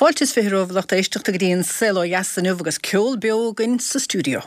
Fáilte is 20 romhaibh lucht éisteachta go dtí an Saol Ó Dheas inniu agus ceol beo againn sa stiúideo.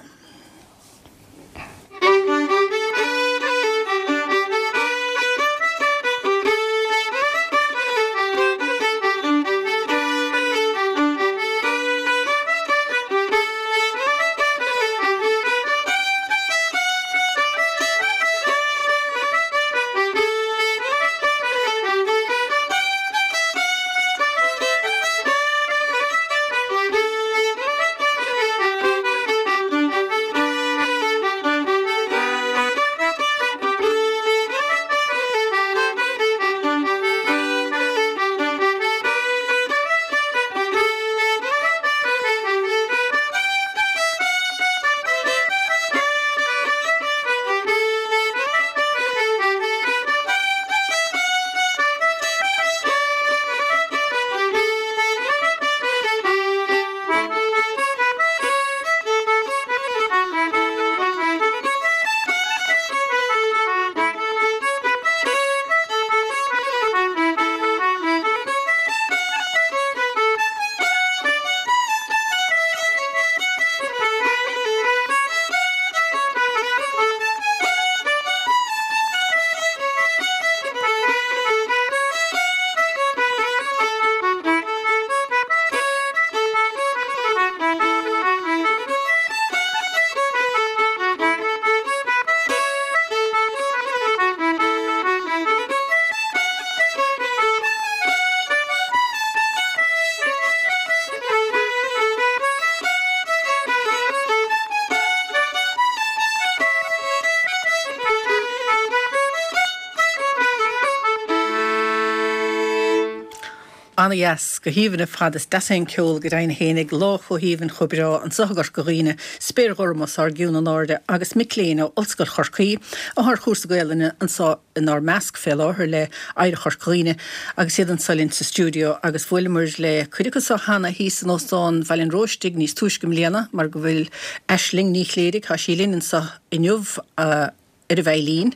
Ana-dheas, go haoibhinn ar fad. Is deas é an ceol go deimhin fhéinig, lá chomh haoibhinn chomh breá anso i gCorca Dhuibhne, spéir ghorm os ár gcionn in airde agus mic léinn ó Ollscoil Chorcaí atá ar chúrsa Gaelainne anso inár measc fé láthair le Oidhreacht Chorca Dhuibhne agus iad anso linn sa stiúideo agus bhuaileamar le cuid acu so cheana thíos in Óstán Bhaile an Róistigh níos túisce i mbliana mar go bhfuil Aisling Ní Chléirigh, tá sí linn anso inniu ar an veidhlín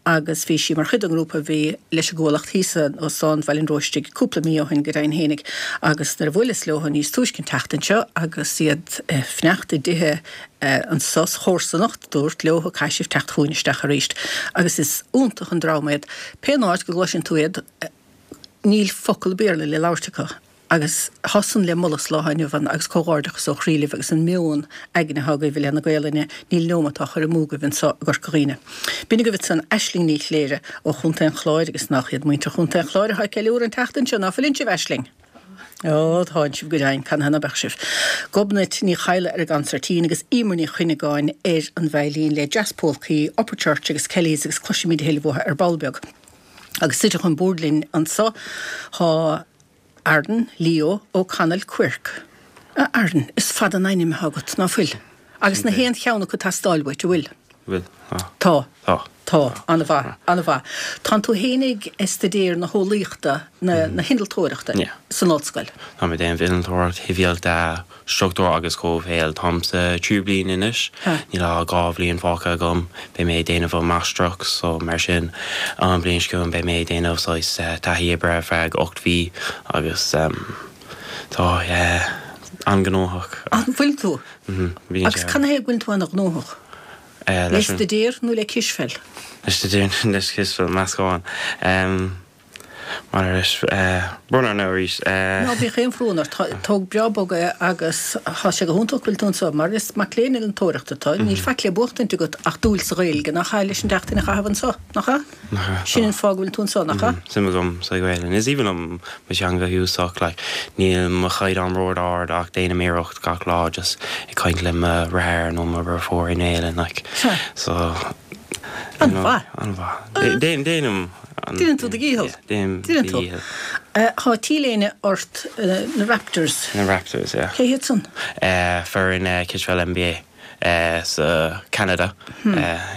agus bhí sí mar chuid den ngrúpa a bhí leis an gCuallacht thíos in Óstán Bhaile an Róistigh cúpla mí ó shin go deimhin fhéinig agus nuair a bhuaileas leo níos túisce an tseachtain seo agus iad ag fanacht i dtithe anso sa chomharsanacht dúrt leo caithfidh sibh teacht chugainn isteach arís agus is iontach an dream iad. Pé áit go gcloiseann tú iad níl focal Béarla le labhairt acu. Agus tá san le moladh sa lá atá inniu ann agus comhghairdeachas ó chroí libh agus an meon aigne atá agaibh i leith na Gaelainne, níl neomat á chur amú agaibh anso i gCorca Dhuibhne. B'in agaibh ansan Aisling Ní Chléire ó Chontae an Chláir agus nach iad muintir Chontae an Chláir atá ag ceiliúradh an tseachtain seo, ná fuileann sibh, Aisling? Ó, tánn sibh go deimhin, canathaobh ná beadh sibh? Gobnait Ní Chadhla ar an gconsairtín agus Emer Ní Chuinneagáin ar an veidhlín le Jazz Polcaí, Upper Church agus Kellys agus cloisfimid a thuilleadh uathu ar ball beag. Agus suite chun boird linn anso tá Arden Leo O'Connell Quirke. A Arden, is fada an ainm atá agat, ná fuil? Agus nach aon cheann acu ag teastáil uait, an bhfuil? Bhfuil, tá. Tá. Tá. Tá, an-mhaith, an-mhaith. Tánn tú fhéinig ag staidéar na heolaíochta, na, na hinnealtóireachta san ollscoil. Táim ag déanamh innealtóireacht shibhialta Struchtúr agus Comhshaol. Táim sa tríú bliain anois. Níl ach 2 bhliain fágtha agam. Beidh mé ag déanamh an máistreacht so mar sin an bhliain seo chugainn beidh mé ag déanamh saghas taithí oibre ar feadh 8 mhí agus tá an-ghnóthach. An bhfuil tú? Bíonn Agus canathaobh go bhfuil tú an-ghnóthach? Le staidéar nó le cispheil? Le staidéar nó le cispheil, meascán. Mar leis, brón orm arís. Ná bíodh aon bhrón ort. Tóg breá bog é agus tá sé go hiontach go bhfuil tú anseo. Mar is mac léinn innealtóireachta tú, níl faic le buachtaint agat ach dúil sa Ghaeilge, nach ea, leis an tseachtain a chaitheamh anseo, nach ea? Nach ea. Sin an fáth go bhfuil tú anseo, nach ea? Suim agam sa Ghaelainn. Is aoibhinn liom mo theanga dhúchasach. Like, níl mo chaighdeán ró-ard ach déanaim iarracht gach lá just ag caint le mo dheartháir nó mo dheirfiúr i nGaelainn, like. Sea. So, An-mhaith. An-mhaith. Déanaim. Déanann tú do dhícheall. Déanaim do dhícheall. Tá T-léine ort, na Raptors. Na Raptors, yeah. Cé hiad san? Foireann cispheil NBA sa Canada.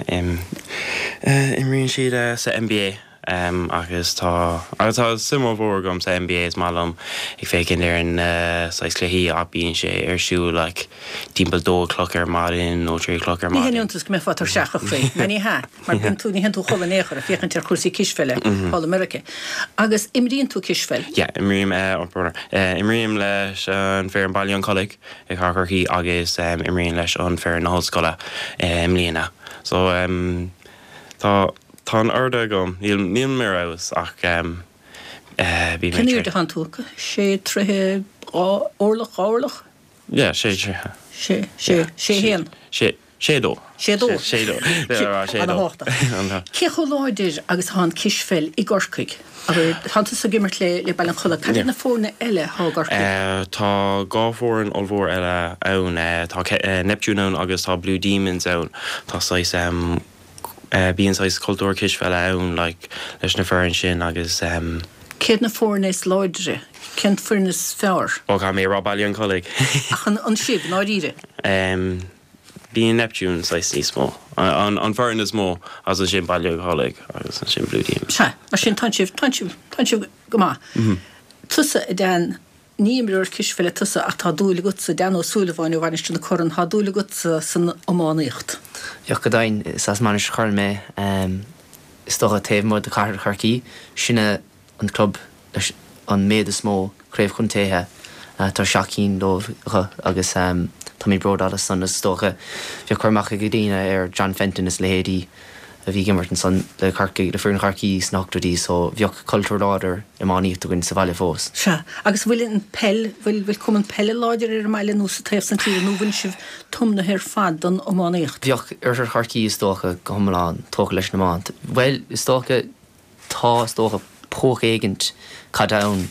Imríonn siad sa NBA. Agus tá agus tá suim ollmhór agam sa NBA is maith liom ag féachaint ar na saghas cluichí ach bíonn sé ar siúl like timpeall dó a cloch ar maidin nó trí a cloch ar Ní haon maidin. iontas go mbeifeá tuirseach a chroí, ná ní hea, mar bíonn tú, ní théann tú a chodladh in aon chor ag féachaint ar chúrsaí cispheile thall i Meiriceá. Agus imríonn tú cispheil? Yeah, imrím eh eh imrím leis an foireann Baile an Chollaigh i gCathair Chorcaí agus imrím leis an foireann na hollscoile i mbliana. So tá Tá an airde agam. Níl, nílim ar fheabhas ach bhí mé Cén airde atánn tú? Sé troithe, 2 orlach, 2 orlach? Yeah, sé troithe. Sé, sé, sé haon. Sé, sé dó. Sé dó. Sé dó. Sé dó. Ana-thábhachtach. Cé chomh láidir agus atá an cispheil i gCorcaigh? Abair, tánn tusa ag imirt le, le Baile an Chollaigh. Cad iad na foirne eile atá i gCorcaigh? Tá 2 foireann ollmhór eile ann. Tá Neptune ann agus tá Blue Demons ann. Tá saghas Bíonn saghas cultúr cispheile ann like leis na foireann sin agus. Céard na foirne is láidre? Cén foireann is fearr? Ó caithfidh mé a rá Baile an Chollaigh. Ach an sibh, i ndáiríre? Bíonn Neptune saghas níos mó. An foireann is mó agus ansin Baile an Chollaigh agus ansin Blue Demons. Sea, mar sin tánn sibh, tánn sibh, tánn sibh go maith. Tusa, a Dan, Ní imreoir cispheile tusa ach tá dúil agatsa, Dan Ó Súilleabháin ó Mhainistir na Corann, tá dúil agatsa san iománaíocht. Bheadh go deimhin, is as Mainistir Chorann mé. Is dócha taobh amuigh de Chathair Chorcaí, sinne an club leis an méad is mó craobh chontaetha, tá 7 cinn dóibh acu agus táimid bródúil as san. Is dócha bheadh cur amach ag daoine ar John Fenton is leithéidí a bhí ag imirt ansan le Corcaigh, le foireann Chorcaí sna hochtóidí so bheadh cultúr láidir iománaíochta againn sa bhaile fós. Sea. Agus bhfuil an peil, bhfuil, bhfuil cumann peile láidir ar an mbaile nó sa taobh san tíre nó bhfuil sibh tiomnaithe ar fad don iománaíocht? Bheadh oirthear Chorcaí is dócha go hiomlán tógtha leis an iomáint. Bhuel, is dócha, tá is dócha poc éigint caide ann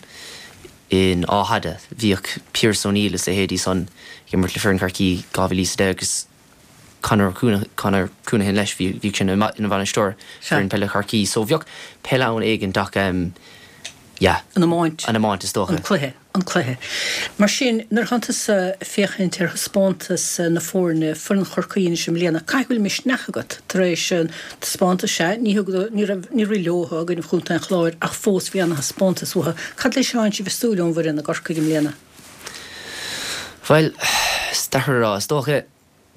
in Áth Fhada. Bhíodh Pearse O'Neill is leithéidí san ag imirt le foireann Chorcaí 2010 agus Conor Conor Counihan leis, bhíodh sé ina bhainisteoir foireann peile Chorcaí. So bheadh peil ann éigint ach yeah. An iomáint. An iomáint is dócha. An cluiche, an cluiche. Mar sin, nuair atánn tusa ag féachaint ar thaispeántas na foirne, foireann Chorcaí anois i mbliana, caithfidh go bhfuil misneach agat tar éis an taispeántas, sea, ní thug, ní raibh, níor rith leo i gcoinne Chontae an Chláir ach fós bhí ana-thaispeántas uathu. Cad leis atánn sibh ag súil ón bhfoireann i gCorcaigh i mbliana? Bhuel, is deacair a rá. Is dócha,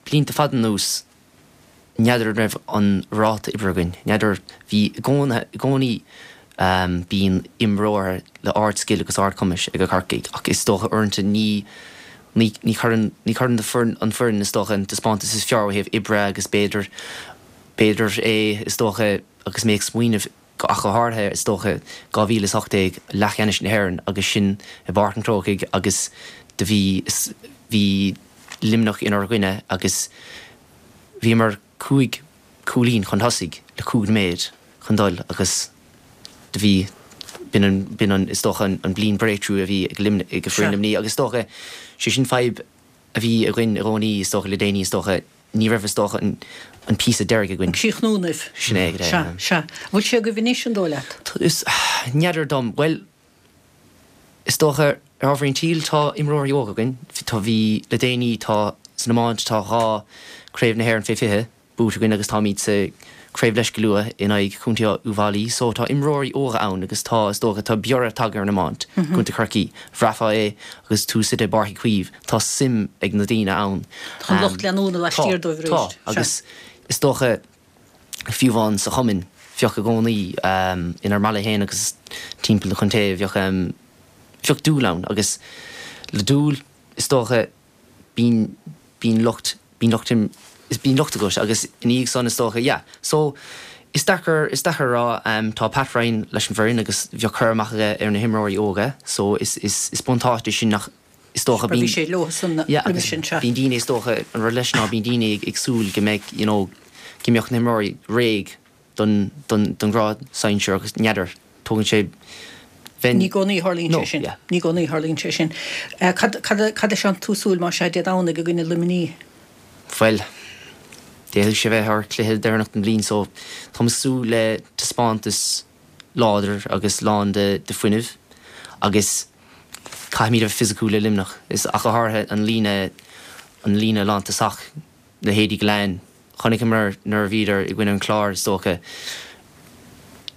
blianta fada anuas, n'fheadar an raibh an ráta oibre againn. N'fheadar, bhí i gcónaí, bíonn imreoir le ard-scil agus ard-chumais ag Corcaigh ach is dócha uaireanta ní, ní, ní chuireann, ní chuireann an foireann is dócha an taispeántas is fearr ó thaobh oibre agus b'fhéidir, b'fhéidir é is dócha agus mé ag smaoineamh, ach go háirithe, is dócha, 2018, leathcheannais na hÉireann agus sinn i bPáirc an Chrócaigh agus do bhí, bhí Luimneach inár gcoinne agus bhíomar cúig cúilín chun tosaigh le cúig nóiméad chun dul agus do bhí, b'in an, b'in an, is dócha, an bliain breakthrough a bhí ag Luimneach, ag foireann Luimnigh agus is dócha, sé sin fadhb a bhí againn i gcónaí, is dócha, le déanaí, is dócha. Ní raibh, is dócha, an píosa deiridh againn. An críochnú nimh. Sin é, go deimhin. Sea, sea. Bhfuil sé agaibh anois, an dóigh leat? Is, n'fheadar dom. Bhuel, is dócha, ar ámharaí an tsaoil, tá imreoirí óga againn. Tá, bhí, le déanaí, tá, san iomáint, tá 2 Craobh na hÉireann fé 20 buaite againn agus táimid sa Craobh leis go luath in aghaidh Chontae Uíbh Fhailí. So tá imreoirí óga ann agus tá, is dócha, tá biorra tagtha ar an iomáint i gContae Chorcaí. Bhraithfeá é agus tú suite i bPáirc Uí Chaoimh. Tá suim ag na daoine ann. Tá an lucht leanúna laistiar dóibh arís. Tá, agus is dócha, fiú amháin sa chumann, bheadh i gcónaí, inár mbaile féin agus timpeall na contae, bheadh, bheadh dúil ann agus le dúil, is dócha, bíonn, bíonn lucht, bíonn lucht, bíonn lucht agat agus ina dhiaidh san, is dócha, yeah. So, is deacair, is deacair a rá, tá Pat Ryan leis an bhfoireann agus bheadh cur amach aige ar na himreoirí óga so is, is, is buntáiste sin nach, is dócha, bíonn, bhí sé leo san yeah, roimhe sin, sea. Bíonn daoine, is dócha, an rud leis ná bíonn daoine ag, ag súil go mbeidh, you know, go mbeadh na himreoirí réidh don, don, don ghrád sinsir agus n'fheadar, tógann sé, bheinn, Ní i gcónaí a tharlaíonn no, sé sin. yeah. Ní i gcónaí a tharlaíonn sé sin. Cad, cad, cad leis atánn tú ag súil más ea Dé Domhnaigh i gcoinne Luimnigh? Bhuel, d'fhéadfadh sé bheith ár cluiche deireanach den bhliain so táim ag súil le taispeántas láidir agus lán de, de fuinneamh agus caithfimid a bheith fisiciúil le Luimneach, is ach go háirithe an líne, an líne lántosach, leithéidí Gillane. Chonaiceamar nuair a bhíodar i gcoinne an Chláir, is dócha.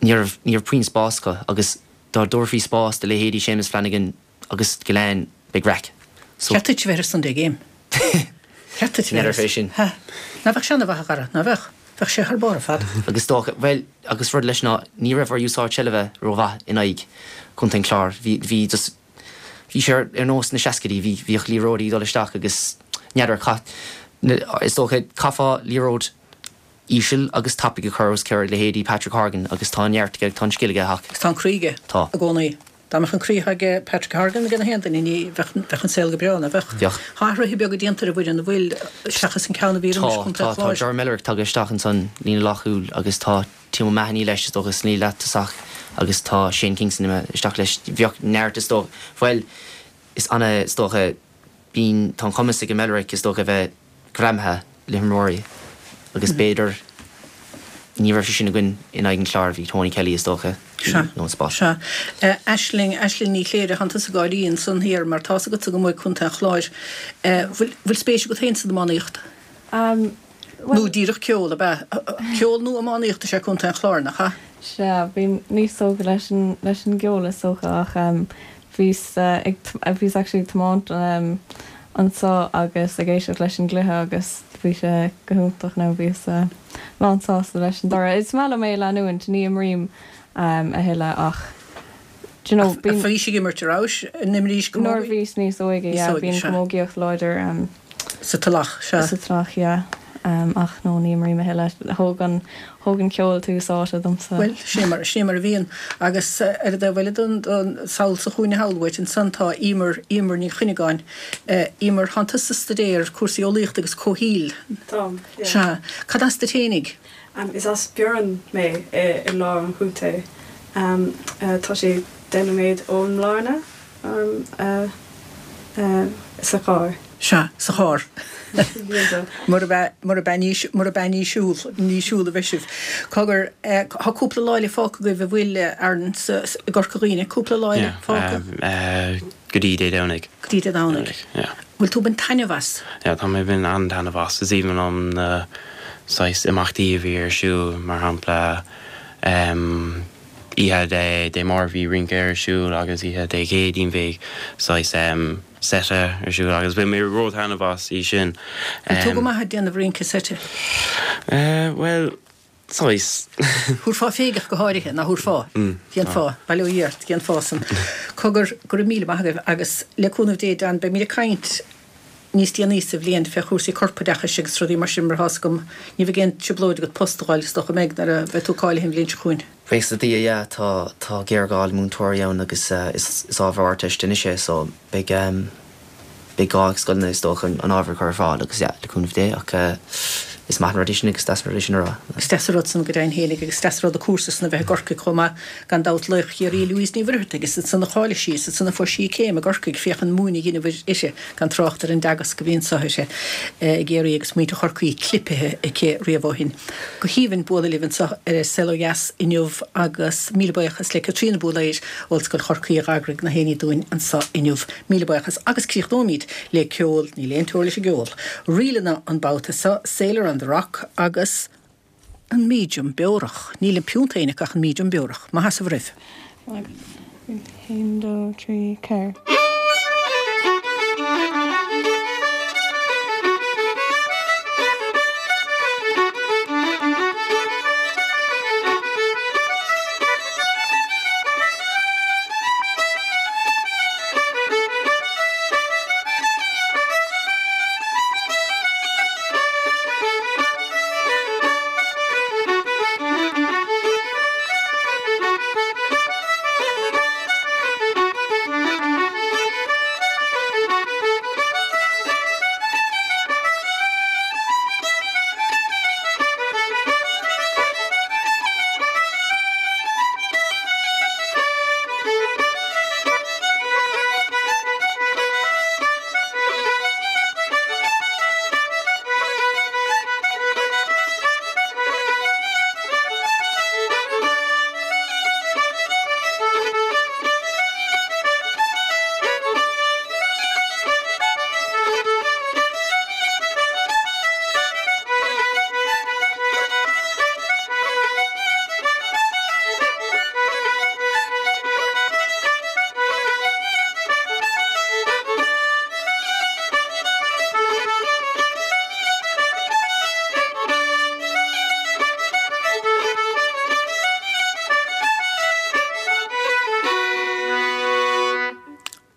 Ní raibh, ní raibh puinn spás acu agus dá dtabharfaí spás do leithéidí Séamus Flanagan agus Gillane, beidh raic. So. Cheart duit a bheith ar Sunday Game. Cheart duit a bheith ar. N'fheadar fé sin. Ha. Ná bheadh sé ana-mhaith a Dhara, ná bheadh? Bheadh sé thar barr ar fad. Agus is dócha, bhuel, agus rud leis ná ní raibh ár úsáid seilbhe rómhaith in aghaidh Contae an Chláir. Bhí, bhí just, bhí sé ar, ar nós na seascaidí, bhí, bhíodh liathróidí ag dul isteach agus n'fheadar, chaith, is dócha, chaithfeá liathróid íseal agus tapaidh a chur os comhair leithéidí Patrick Horgan agus tá an neart aige, tá an scil aige ach. Agus tá an croí aige. Tá. I gcónaí. Dá mbeadh an croí atá aige Patrick Horgan ag gach aon duine ní bheadh, bheadh an saol go breá, ná bheadh? Bheadh. Tá athruithe beaga déanta ar an bhfoireann, an bhfuil, seachas an ceann a bhí roimis Tá, Contae tá, tá Chláir? Ger Mellerick tagtha isteach ansan líne leathchúil agus tá Tim O'Mahony leis is dócha sa líne leath-tosach agus tá Shane Kingston imithe isteach leis. Bheadh neart is dócha, bhuel, is ana is dócha, bíonn, tá an cumas ag Mellerick is dócha a bheith greamaithe le himreoirí agus b'fhéidir ní raibh sé sin againn in aghaidh an Chláir, bhí Tony Kelly is dócha, Sea, nó an spás. sea. Aisling, Aisling Ní Chléire, thánn tusa ag gáirí ansan thiar mar tá's agatsa go mbuaigh Contae an Chláir. Bhfuil, bhfuil spéis agat féin san iománaíocht? Bhuel. Nó díreach ceol, ab ea? Ceol nó iománaíocht is ea Contae an Chláir, nach ea? Sea, bhí níos tógtha leis an, leis an gceol is dócha ach bhíos ag, bhíos actually ag tiomáint anseo agus ag éisteacht leis an gcluiche agus bhí sé go hiontach now bhíos lán sásta leis an dtoradh. Is maith liom é a leanúint, ní imrím a thuilleadh ach do you know bíonn. Bhís ag imirt, an rabhais? An imrís camógaí? Nuair a bhíos níos óige, yeah, bíonn camógaíocht láidir. Sa Tulach, sea. Sa Tulach, yeah. Ach no, ní imrím a thuilleadh. Thóg an, thóg an ceol tús áite domsa. Bhuel, sin é mar, sin é mar a bhíonn. Agus ar an dtaobh eile den, den sall sa chúinne thall uait ansan tá Emer, Emer Ní Chuinneagáin. Emer, thánn tusa ag staidéar cúrsaí eolaíochta agus comhshaoil. Táim, yeah. Sea. Cad as duit fhéinig? Is as Biorra mé i lár an chontae. Tá sé 10 nóiméad ón mBlarna. Sa charr. Sea, sa charr. Murab ea, murab ea ní, murab ea ní siúl, ní siúl a bheidh sibh. Cogar, tá cúpla lá eile fágtha agaibh, an bhfuil, Aaron, sa, i gCorca Dhuibhne, cúpla lá eile fágtha? Yeah, go dtí Dé Domhnaigh. Go dtí Dé Domhnaigh. Yeah. Bhfuil tú ag baint taitneamh as? Yeah, tá mé ag baint an-taitneamh as. Is aoibhinn liom na saghas imeachtaí a bhí ar siúl, mar shampla, Oíche Dé Dé Máirt bhí rince ar siúl agus oíche Dé Céadaoin bhí saghas seite ar siúl agus bhain mé ró-thaitneamh as í sin. Bhfuil tú go maith ag déanamh rince seite? Bhuel, saghas. Thabharfá féig ach go háirithe, ná thabharfá? Dhéanfá, bail ó Dhia ort, dhéanfá san. Cogar, go raibh míle maith agaibh agus le cúnamh Dé, Dan, beimid ag caint níos déanaí sa bhliain fé chúrsaí corpoideachais agus rudaí mar sin mar tá's agam ní bheidh aon trioblóid agat post a fháil is dócha an mbeidh nuair a bheidh tú cáilithe an bhliain seo chugainn. Buíochas le Dia yeah tá tá géarghá le múinteoirí ann agus is is ábhar Ardteiste anois é so beidh beidh gá ag scoileanna is dócha an ábhar a chur ar fáil agus yeah le cúnamh Dé ach is maith an rud é sin agus deas an rud é sin a rá. Is deas an rud san go deimhin fhéinig agus is deas an rud an cúrsa san a bheith i gCorcaigh chomh maith. Gan dabht laoch Chiarraí Louise Ní Mhuircheartaigh, is ansan a cháiligh sí, is ansan a fuair sí a céim i gCorcaigh, féach an múineadh a dheineadh uirthi, gan trácht ar an dteagasc a bhí anso uirthi i gCiarraí agus muintir Chorcaí clipithe aici riamh ó shin. Go haoibhinn bualadh libh anso ar Saol Ó Dheas inniu agus míle buíochas le Caitríona Búlaeir, Ollscoil Chorcaí a dh'eagraigh na haonaigh dúinn anso inniu. Míle buíochas agus críochnóimid le ceol, níl aon teora leis an gceol, ríleanna an babhta seo, Sailor on the Rock agus an Medium Beorach. Níl an piúnt féin acu ach an Medium Beorach. Maith as a bhur raibh. Agus 1, 2, 3, 4.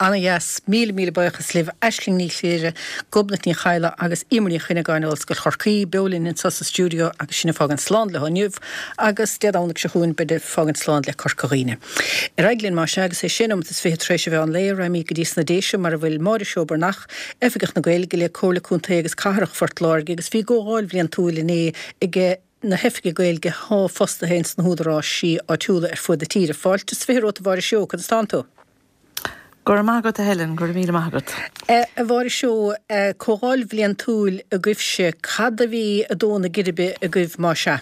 Ana-dheas. Míle, míle buíochas libh, Aisling Ní Chléire, Gobnait Ní Chadhla agus Emer Ní Chuinneagáin ó Ollscoil Chorcaí, beo linn anseo sa stiúideo agus sinn ag fágaint slán leo inniu agus Dé Domhnaigh seo chugainn beidh ag fágaint slán le Corca Dhuibhne. Ar aghaidh linn más ea agus é sé nóimeat is 20 tar éis an mheán lae, raghaimid go dtí sna Déise mar a bhfuil Máire Seó Breathnach, Oifigeach na Gaeilge le Comhairle Contae agus Cathrach Phort Láirge agus bhí comhdháil bhliantúil inné ag na hoifigigh Gaeilge athá fostaithe ins na húdaráisí áitiúla ar fuaid na tíre. Fáilte is 20 romhat a Mháire Seó, conas tánn tú? Go raibh maith agat a Helen, go raibh míle maith agat. A Mháire Seó, comhdháil bhliantúil agaibhse, cad a bhí ag dó na geirbe agaibh más ea?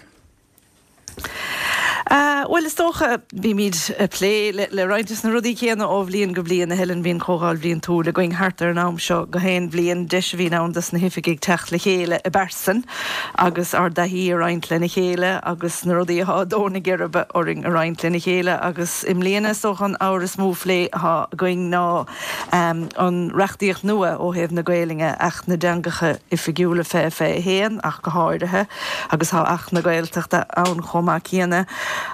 Bhuel, is dócha, bímid ag plé le roinnt de na rudaí céanna ó bhliain go bliain, a Helen. Bíonn comhdháil bhliantúil againn thart ar an am seo gach aon bhliain, deis a bhíonn ann dos na hoifigigh teacht le chéile i bpearsan agus ár dtaithí a roinnt lena chéile agus na rudaí atá ag dó na geirbe orainn a roinnt lena chéile agus i mbliana is dócha an ábhar is mó phlé atá againn ná an reachtaíocht nua ó thaobh na Gaelainne, Acht na dTeangacha Oifigiúla 2021 ach go háirithe, agus tá Acht na Gaeltachta ann chomh maith céanna.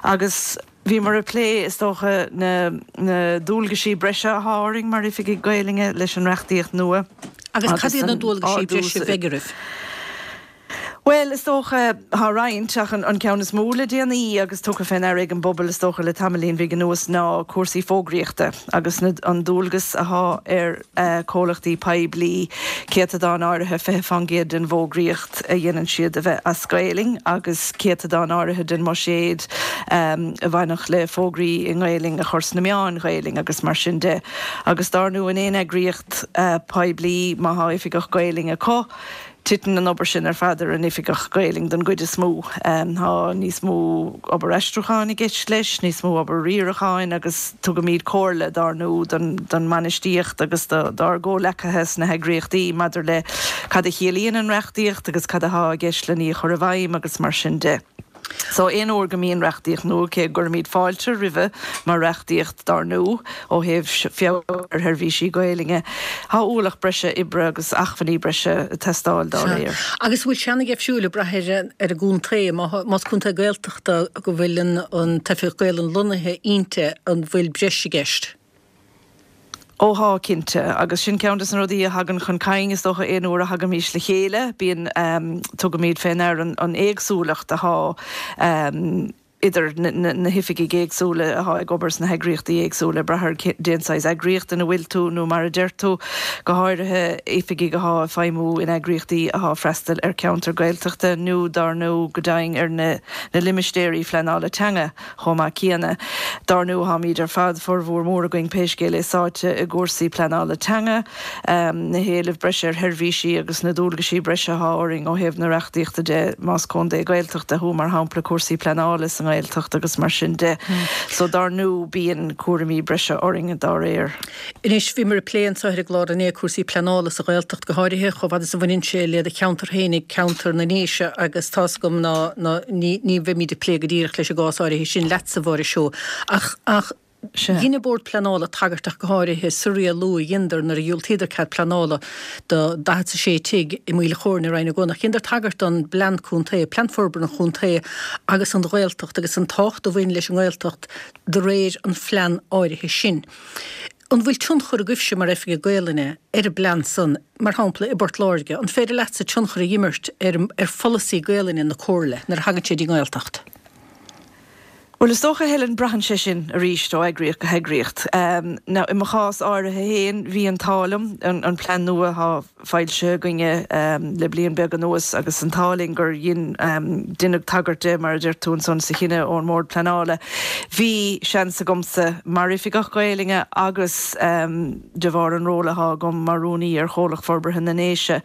Agus bhíomar ag plé, is dócha, na na dualgaisí breise athá orainn mar oifigigh Gaelainne leis an reachtaíocht nua. Agus cad iad na dualgaisí breise a bheidh oraibh? Bhuel, is dócha, tá roinnt, ach an ceann is mó le déanaí agus tugtha fé ndeara ag an bpobal, is dócha, le tamaillín bhig anuas ná cúrsaí fógraíochta agus an dualgas athá ar comhlachtaí poiblí céatadán áirithe, 20 fán gcéad den bhfógraíocht a dhéanann siad a bheith as Gaelainn agus céatadán áirithe den mbuiséad a bhainfeadh le fógraí i nGaelainn a chur sna meáin Ghaelainn agus mar sin de. Agus dár ndú in aon eagraíocht poiblí má thá oifigeach Gaelainne acu, Titeann an obair sin ar fad ar an oifigeach Gaelainn don gcuid is mó. Tá níos mó obair aistriúcháin i gceist leis, níos mó obair riaracháin agus tugaimid comhairle, dár ndú, don mbainistíocht agus dár gcomhleacaithe sna heagraíochtaí maidir le cad a chiallaíonn an reachtaíocht agus cad athá i gceist len í a chur i bhfeidhm agus mar sin de. So, aon uair go mbíonn reachtaíocht nua, cé go gcuirimid fáilte roimhe mar reachtaíocht, dár ndú, ó thaobh feabhas ar sheirbhísí Gaelainne, tá ualach breise oibre agus acmhainní breise ag teastáil dá réir. Agus an bhfuil sé ana-dheifriúil ag brath ar an gcontae? Más contae Gaeltachta go bhfuil an t-oifigeach Gaelainne lonnaithe inti, an bhfuil breis i gceist? Ó thá, cinnte. Agus sin ceann des na rudaí a thagann chun cinn, is dócha, aon uair a thagaimís le chéile, bíonn, tugaimid fé ndear an éagsúlacht athá idir na hoifigigh éagsúla athá ag obair sna heagraíochtaí éagsúla, ag brath ar cén saghas eagraíocht ina bhfuil tú nó mar a deir tú, go háirithe oifigigh athá ag feidhmiú in eagraíochtaí athá ag freastal ar cheantar Gaeltachta nó dár ndú go deimhin ar na limistéirí phleanála teanga. Chomh maith céanna, dár ndú, táimid ar fad, formhór mór againn pé scéal é, sáite i gcúrsaí pleanála teanga, na héilimh breise ar sheirbhísí agus na dualgaisí breise athá orainn ó thaobh na reachtaíochta de, más contae Gaeltachta thú, mar shampla, cúrsaí pleanála sa nGaeltacht agus mar sin de. So, dár ndú, bíonn cúraimí breise orainn dá réir. Anois, bhíomar ag plé anseo ar an gclár inné cúrsaí pleanála sa Ghaeltacht, go háirithe chomh fada is a bhaineann sé le do cheantar féinig, ceantar na nDéise, agus tá's agam ná ná ní ní bheimid ag plé go díreach leis an gcás áirithe sin leatsa, a Mháire Seó, ach ach dhein an Bord Pleanála tagairt ach go háirithe sa rialú a dheineadar nuair a dhiúltaíodar cead pleanála do 46 tigh i Maoil Chóirne i Rinn Ó gCuanach. Dheineadar tagairt don bPlean Contae, Plean Forbartha an Chontae agus an Ghaeltacht agus an tábhacht a bhain leis an nGaeltacht de réir an phlean áirithe sin. An bhfuil tionchar agaibhse mar Oifigigh Gaelainne ar an bplean san, mar shampla i bPort Láirge, an féidir leatsa tionchar a dh'imirt ar ar pholasaí Gaelainne na Comhairle nuair a thagann sé dtí an nGaeltacht? Bhuel, is dócha, Helen, braitheann sé sin arís ó eagraíocht go heagraíocht. Now, i mo chás áirithe féin, bhí an t-ádh liom, an plean nua atá foilsithe againne le bliain beag anuas agus an t-ádh linn gur dhein, deineadh tagairt de, mar a deir tú ansan sa chinneadh ón mBord Pleanála. Bhí seans agamsa, mar Oifigeach Gaelainne agus de bharr an ról athá agam mar Rúnaí ar Chomhlacht Forbartha na nDéise,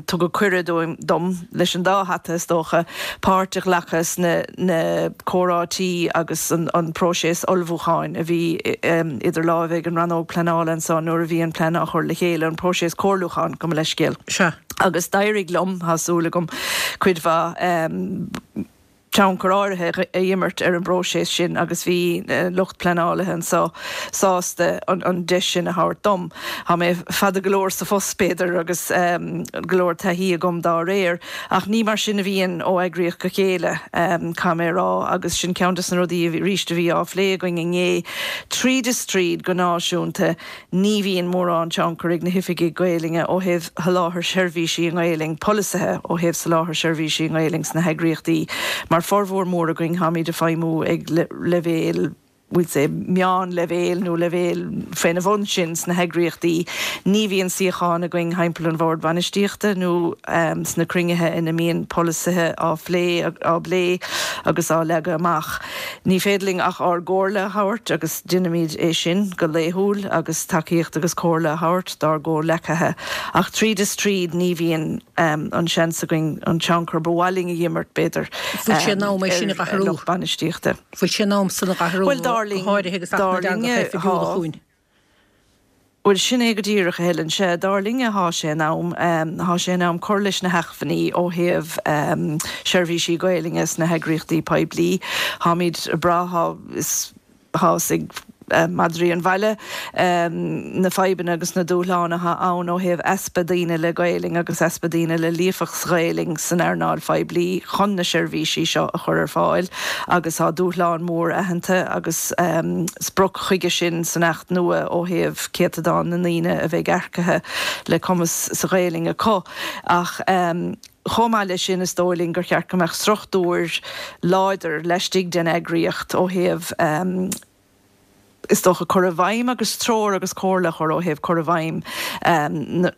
tugadh cuireadh dom, leis an dá hata is dócha, páirt a ghlacadh sna na comhráití agus an próiseas ullmhúcháin a bhí idir láimhe ag an Rannóg Pleanála anso nuair a bhí an plean á chur le chéile, an próiseas comhairliúcháin, gabh mo leithscéal. Sea. Agus d'éirigh liom, tá súil agam, cuid mhaith. tionchar áirithe a imirt ar an bpróiseas sin agus bhí lucht pleanálaithe anseo sásta an deis sin a thabhairt dom. Tá mé fada go leor sa phost, b'fhéidir, agus go leor taithí agam dá réir, ach ní mar sin a bhíonn ó eagraíocht go chéile, caithfidh mé a rá, agus sin ceann des na rudaí arís a bhí á phlé againn inné. Tríd is tríd, go náisiúnta, Ní bhíonn mórán tionchar ag na hoifigigh Gaelainne ó thaobh sholáthar seirbhísí i nGaelainn, polasaithe ó thaobh soláthar seirbhísí i nGaelainn sna heagraíochtaí, mar formhór mór againn táimid ag feidhmiú ag leibhéal, we'll say, meánleibhéil nó leibhéal faoina bhun sin sna heagraíochtaí. Ní bhíonn suíocháin againn thimpeall an bhord bainistíochta nó sna cruinnithe ina mbíonn polasaithe á phlé, á bplé agus á leagadh amach. Ní féidir linn ach ár gcomhairle a thabhairt agus déanaimid é sin go laethúil agus tacaíocht agus comhairle a thabhairt dár gcomhghleacaithe ach tríd is tríd ní bhíonn an seans againn an tionchar ba mhaith linn a imirt, b'fhéidir, Bhfuil sé in am é sin a ar athrú? lucht bainistíochta. Bhfuil sé in am san a athrú, Bhuel, dar go háirithe agus Acht dar na linne, dTeangacha Oifigiúla thá. chugainn? Bhuel, sin é go díreach, a Helen. Sea, dar linne, thá sé in am. Thá sé in am cur leis na hacmhainní ó thaobh seirbhísí Gaelainne sna heagraíochtaí poiblí. Tháimid ag brath, thá, is, thá fhios ag madraí an bhaile na fadhbanna agus na dúshláin athá ann ó thaobh easpa daoine le Gaelainn agus easpa daoine le líofacht sa Ghaelainn san earnáil phoiblí chun na seirbhísí seo a chur ar fáil agus thá dúshlán mór aitheanta agus sprioc chuige sin san Acht nua ó thaobh céatadán na ndaoine a bheidh earcaithe le cumas sa Ghaelainn acu ach chomh maith leis sin is dóigh linn gur cheart go mbeadh struchtúir láidir laistigh den eagraíocht ó thaobh is dócha cur i bhfeidhm agus treoir agus comhairle a chur ó thaobh cur i bhfeidhm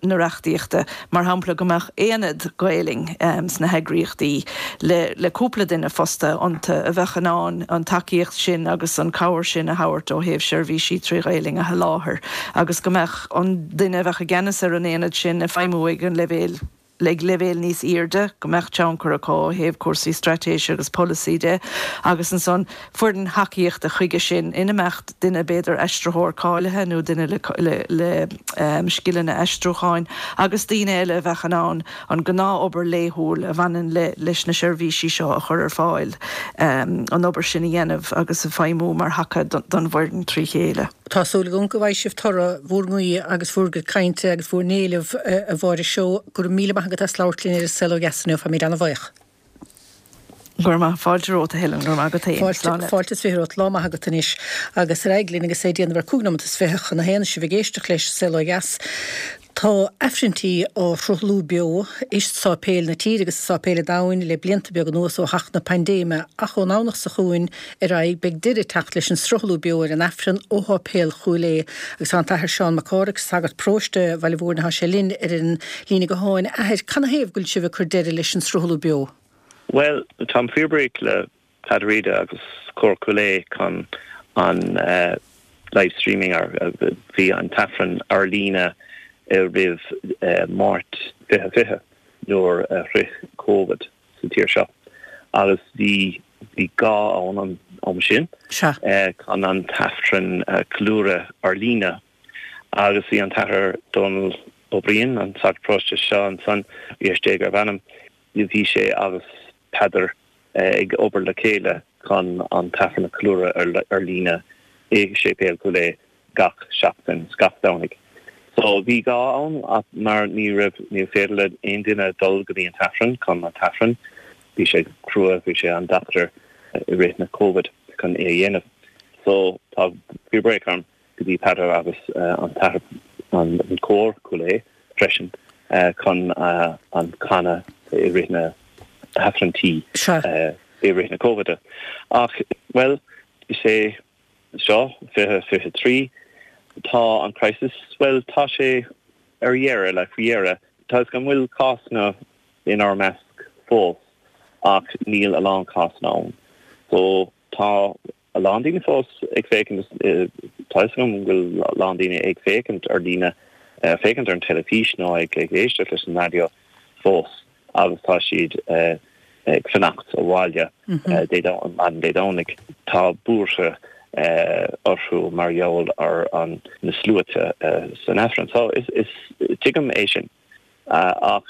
na reachtaíochta. Mar shampla go mbeadh aonad Gaelainn sna heagraíochtaí le cúpla duine fostaithe iontu a bheadh in ann an tacaíocht sin agus an cabhair sin a thabhairt ó thaobh seirbhísí trí Ghaelainn a sholáthar agus go mbeadh an duine a bheadh i gceannas ar an aonad sin ag feidhmiú ag an leibhéal ag leibhéal níos airde, go mbeadh tionchar acu ó thaobh cúrsaí straitéise agus polasaí de agus ansan foireann thacaíochta chuige sin ina mbeadh duine, b'fhéidir aistritheoir cáilithe nó duine le scileanna aistriúcháin agus daoine eile a bheadh in ann an gnáthobair laethúil a bhaineann leis na seirbhísí seo a chur ar fáil, an obair sin a dhéanamh agus a feidhmiú mar thaca don bhfoireann trí chéile. Tá súil agam go bhfaighidh sibh toradh bhur nguí agus bhur gcuid cainte agus bhur n-éileamh, a Mháire Seó. Go raibh míle maith agat as labhairt linn ar An Saol Ó Dheas inniu. Táimid ana-bhuíoch. Go raibh maith. Fáilte romhat, a Helen. Go raibh maith agat féin. Fáilte, fáilte is 20 romhat. Lá maith agat anois. Agus ar aghaidh linn agus é ag déanamh ar 25 nóimeat chun a haon, sibh ag éisteacht leis An Saol Ó Dheas. Tá Aifrinntí á sruthlú beo i sáipéil na tíre agus i sáipéil an domhain le blianta beaga anuas ó theacht na paindéime ach ón nDomhnach seo chugainn ar aghaidh beidh deireadh ag teacht leis an sruthlú beo ar an Aifreann ó Sháipéal Chúil Aodha agus tá an tAthair Seán Mac Cárthaigh, sagart paróiste Bhaile Mhúirne, tá sé linn ar an líne gutháin. A Athair, canathaobh go bhfuil sibh ag cur deireadh leis an sruthlú beo? Bhuel, táim fíorbhuíoch le Peadar Íde agus Cór Chúil Aodha chun an live streaming ar bhí an t-aifreann ar líne roimh Máirt 2020 nuair a shroich Covid sa tír seo agus bhí bhí gá ann an am sin chun an t-aifreann a cheiliúradh ar líne agus bhí an t-athair Dónal Ó Briain, an sagart paróiste seo ansan, bhí istigh ar mh'anam, bhí sé agus Peadar ag obair le chéile chun an t-aifreann a cheiliúradh ar líne i Séipéal Chúil Aodha gach seachtain, gach Domhnaigh. So bhí gá ann ach mar ní raibh, ní féidir le aon duine dul go dtí an t-aifreann chun an t-aifreann, bhí sé crua, bhí sé an-deacair i rith na Covid chun é a dhéanamh. So tá fíorbhuíoch orm go dtí Peadar agus an t-athair, an cór Cúil Aodha freisin chun an canadh i rith na hAifrinntí i rith na Covide. Ach, bhuel, is é seo 2023, tá an crisis, bhuel, tá sé ar dheireadh, like, faoi dheireadh. Tá 'fhios agam go bhfuil cásanna inár measc fós ach níl a lán cásanna ann. So tá a lán daoine fós ag féachaint, tá 'fhios agam go bhfuil a lán daoine ag féachaint ar líne, féachaint ar an teilifís nó ag éisteacht leis an raidió fós agus tá siad ag fanacht abhaile maidin Dé Domhnaigh. Tá buartha orthu mar gheall ar an na sluaite san Aifreann. So is tuigim é sin. Ach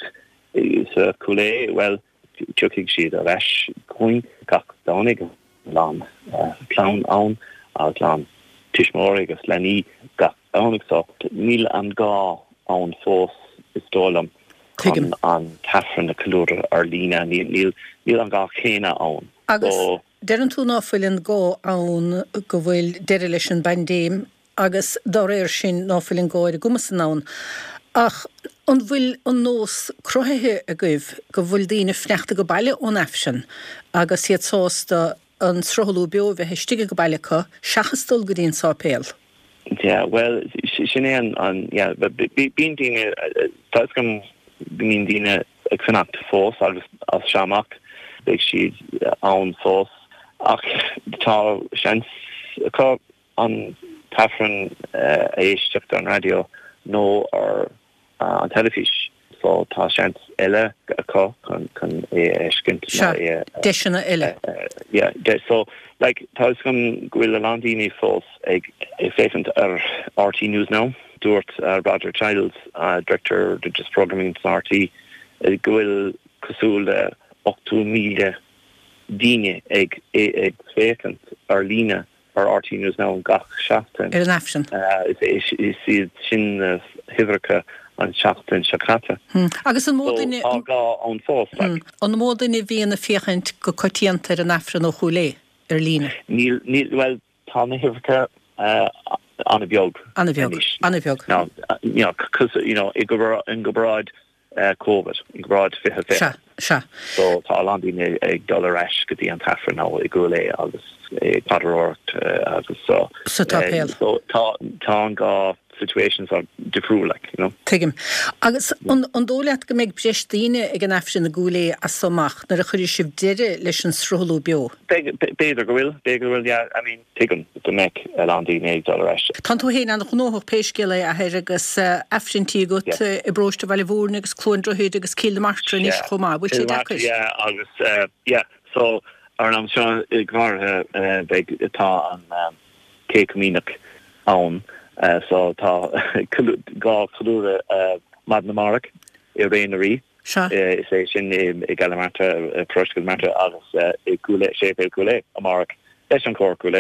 sa Chúil Aodha, bhuel. tiocfaidh siad ar ais chugainn gach Domhnaigh, a lán clann ann agus a lán tuismitheoirí agus leanaí gach Domhnaigh so níl an gá ann fós is dóigh liom chun an t-aifreann a cheiliúradh ar líne, níl an gá céanna ann. Agus deireann tú ná fuil an gá ann go bhfuil deireadh leis an bpaindéim agus dá réir sin ná fuil an gá ar an gcuma san ann. Ach an bhfuil an nós cruthaithe agaibh go bhfuil daoine fanacht age baile ón Aifreann agus iad sásta an sruthlú beo a bheith istigh age baile acu seachas dul go dtí an sáipéal? Yeah, bhuel, sin é an, yeah, bíonn daoine, tá 'fhios agam go mbíonn daoine ag fanacht fós agus as seo amach beidh siad ann fós ach tá seans acu an t-aifreann a éisteacht ar an raidió nó ar an teilifís so tá seans eile acu chun chun é a fheiscint nó é a Deiseanna eile. Yeah, so like tá 'fhios agam go bhfuil a lán daoine fós ag féachaint ar RTÉ News Now. Dúirt Roger Childs, Director Religious Programming san RTÉ, go bhfuil cosúil le 80,000 daoine ag féachaint ar líne ar RTÉ News Now gach seachtain. Ar an Aifreann. Is iad sin na huimhreacha an tseachtain seo caite. Agus an mó duine. So tá gá ann fós, like. An mó duine a bhíonn ag féachaint go coitianta ar an Aifreann ó Chúil Aodha, ar líne? Níl, níl, bhuel, tá na huimhreacha an-bheag An-bheag, an-bheag. Now, you know, cos, you know, i gcomparáid Covid, i gcomparáid 2020. Sea, sea. So tá a lán daoine ag dul ar ais go dtí an t-aifreann nó i gCúil Aodha agus ag paidreoireacht agus so. Sa tsáipéal. So tá, tá an dhá situation so difriúil like, you know. Tuigim. Agus an, an dóigh leat go mbeidh breis daoine ag an aifreann i gCúil Aodha as so amach nuair a chuirfidh sibh deireadh leis an sruthlú beo? Beidh, b'fhéidir go bhfuil, b'fhéidir go bhfuil, yeah, I mean. Tuigim go mbeidh a lán daoine ag dul ar ais. Tánn tú féin an-ghnóthach pé scéal é, a Athair, agus Aifrinntí agat i bparóiste Bhaile Mhúirne agus Cluain Droichid agus Cill na Martra anois chomh maith. Bhfuil sé deacair? Yeah, agus yeah, so ar an am seo go háirithe beidh, tá an Chéad Chomaoineach ann so tá dhá cheiliúradh maidin amárach i Ré na Rí. Sea. Is é sin i gCill na Martra, Paróiste Chill na Martra agus i gCúil Aodha, Séipéal Chúil Aodha amárach leis an Chór Chúil